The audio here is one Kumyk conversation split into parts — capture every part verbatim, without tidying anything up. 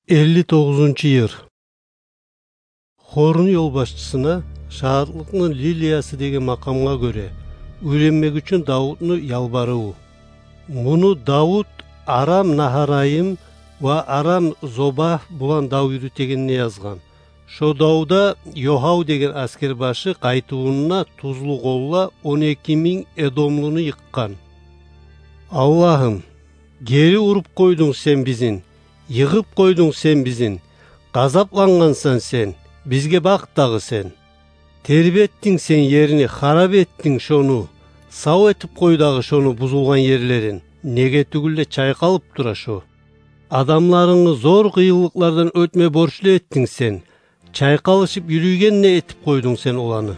Элли тогъузунчу йыр. Хорну ёлбашчысына шагьатлыкъны лилиясы деген макъамгъа гёре уьйренмек учун Давутну ялбарыву. Муну Давут Арам-Нагьарайым ва Арам-Зобагь булан дав юрютегенде язгъан. Шо давда Йогьав деген аскербашы къайтывунда тузлу къолла он эки минг эдомлуну йыкъгъан. Аллагьым, гери уруп къойдунг сен бизин, йыгъып къойдунг сен бизин, къазаплангъансан сен, бизге бакъ дагъы сен. Тербетдинг сен ерни, харап этдинг шону, сав этип къой дагъы шону бузулгъан ерлерин, неге тюгюл де чайкъалып тура шо. Адамларынгны зор къыйынлыкълардан оьтме борчлу этдинг сен, чайкъалышып юрюйген де этип къойдунг сен оланы.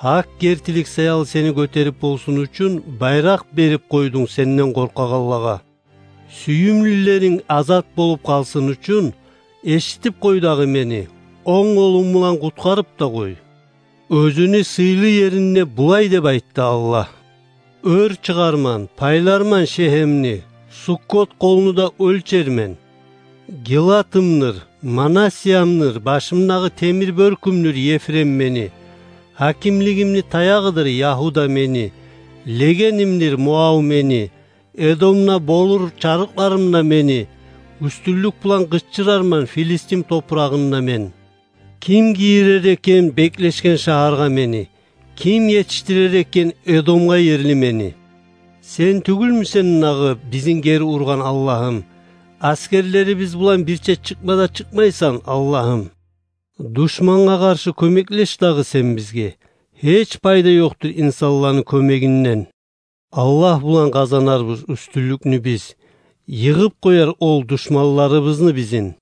Гьакъ гертилик саялы сени гётерип болсун учун байракъ берип къойдунг сенден къоркъагъанлагъа. Сююмлюлеринг азат болуп къалсын учун эшитип къой дагъы мени, онг къолунг булан къутгъарып да къой. Оьзюню сыйлы еринде булай деп айтды Аллагь: «Оьр чыгъарман, пайларман Шегьемни, Суккот къолну да оьлчермен. Гилатымдыр, Манассиямдыр, башымдагъы темир бёркюмдюр Ефрем мени, гьакимлигимни таягъыдыр Ягьуда мени, легенимдир Муав мени, Эдомда болур чарыкъларым да мени, уьстюнлюк булан къычырарман Филистим топурагъында мен. Ким гийирер экен беклешген шагьаргъа мени? Ким етишдирер экен Эдомгъа ерли мени?» Сен тюгюлмюсен дагъы бизин гери ургъан, Аллагьым? Аскерлерибиз булан бирче чыкъма да чыкъмайсан, Аллагьым. Душмангъа къаршы кёмеклеш дагъы сен бизге. Гьеч пайда ёкъдур инсанланы кёмегинден. Аллагь булан къазанарбыз уьстюнлюкню биз. Йыгъып къояр ол душманларыбызны бизин.